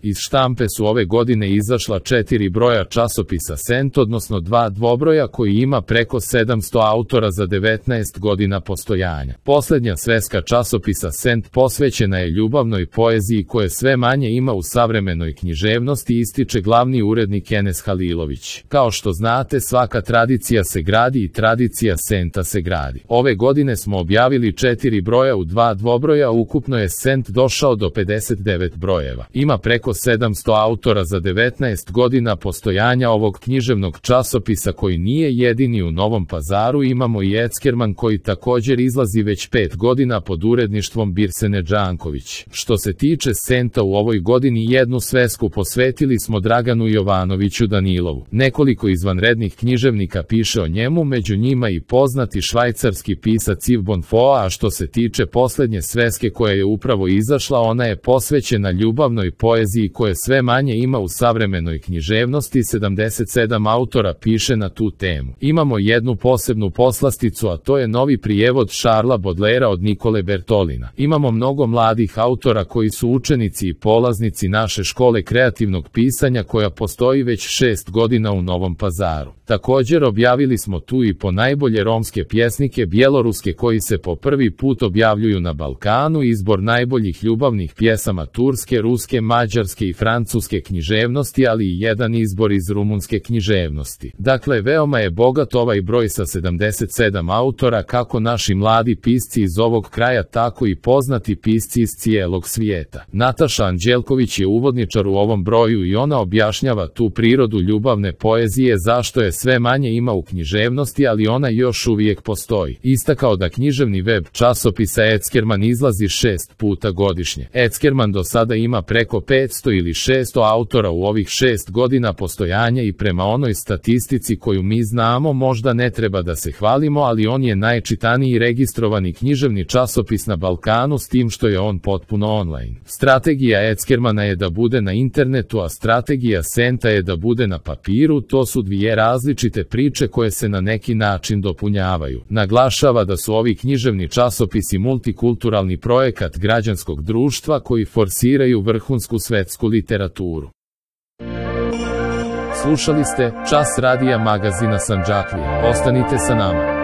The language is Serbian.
Iz štampe su ove godine izašla 4 broja časopisa Sent, odnosno 2 dvobroja koji ima preko 700 autora za 19 godina postojanja. Poslednja sveska časopisa Sent posvećena je ljubavnoj poeziji koje sve manje ima u savremenoj književnosti, ističe glavni urednik Enes Halilović. Kao što znate, svaka tradicija se gradi i tradicija Senta se gradi. Ove godine smo objavili 4 broja u 2 dvobroja, ukupno je Sent došao do 59 brojeva. Ima preko 700 autora za 19 godina postojanja ovog književnog časopisa koji nije jedini u Novom Pazaru. Imamo i Eckerman koji također izlazi već 5 godina pod uredništvom Birsene Đanković. Što se tiče Senta, u ovoj godini jednu svesku posvetili smo Draganu Jovanoviću Danilovu. Nekoliko izvanrednih književnika piše o njemu, među njima i poznati švajcarski pisac Yves Bonfoy, a što se tiče poslednje sveske koja je upravo izašla, ona je posvećena ljubavnoj poeziji koje sve manje ima u savremenoj književnosti. 77 autora piše na tu temu. Imamo jednu posebnu poslasticu, a to je novi prijevod Charlesa Baudelairea od Nikole Bertolina. Imamo mnogo mladih autora koji su učenici i polaznici naše škole kreativnog pisanja koja postoji već 6 godina u Novom Pazaru. Također objavili smo tu i po najbolje romske pjesnike bjeloruske koji se po prvi put objavljuju na Balkanu, izbor najboljih ljubavnih pjesama turske, ruske, mađarske i francuske književnosti, ali i jedan izbor iz rumunske književnosti. Dakle, veoma je bogat ovaj broj sa 77 autora, kako naši mladi pisci iz ovog kraja, tako i poznati pisci iz cijelog svijeta. Nataša Anđelković je uvodničar u ovom broju i ona objašnjava tu prirodu ljubavne poezije, zašto je sve manje ima u književnosti, ali ona još uvijek postoji. Istakao da književni web časopisa Eckerman izlazi 6 puta godišnje. Eckerman do sada ima preko 500 ili 600 autora u ovih 6 godina postojanja i prema onoj statistici koju mi znamo, možda ne treba da se hvalimo, ali on je najčitaniji registrovani književni časopis na Balkanu, s tim što je on potpuno online. Strategija Eckermana je da bude na internetu, a strategija Senta je da bude na papiru. To su dvije različite priče koje se na neki način dopunjavaju. Naglašava da su ovi književni časopisi multikulturalni projekat građanskog društva koji forsiraju vrhunsku svetsku literaturu. Slušali ste Čas radija magazina Sandžaklija. Ostanite sa nama.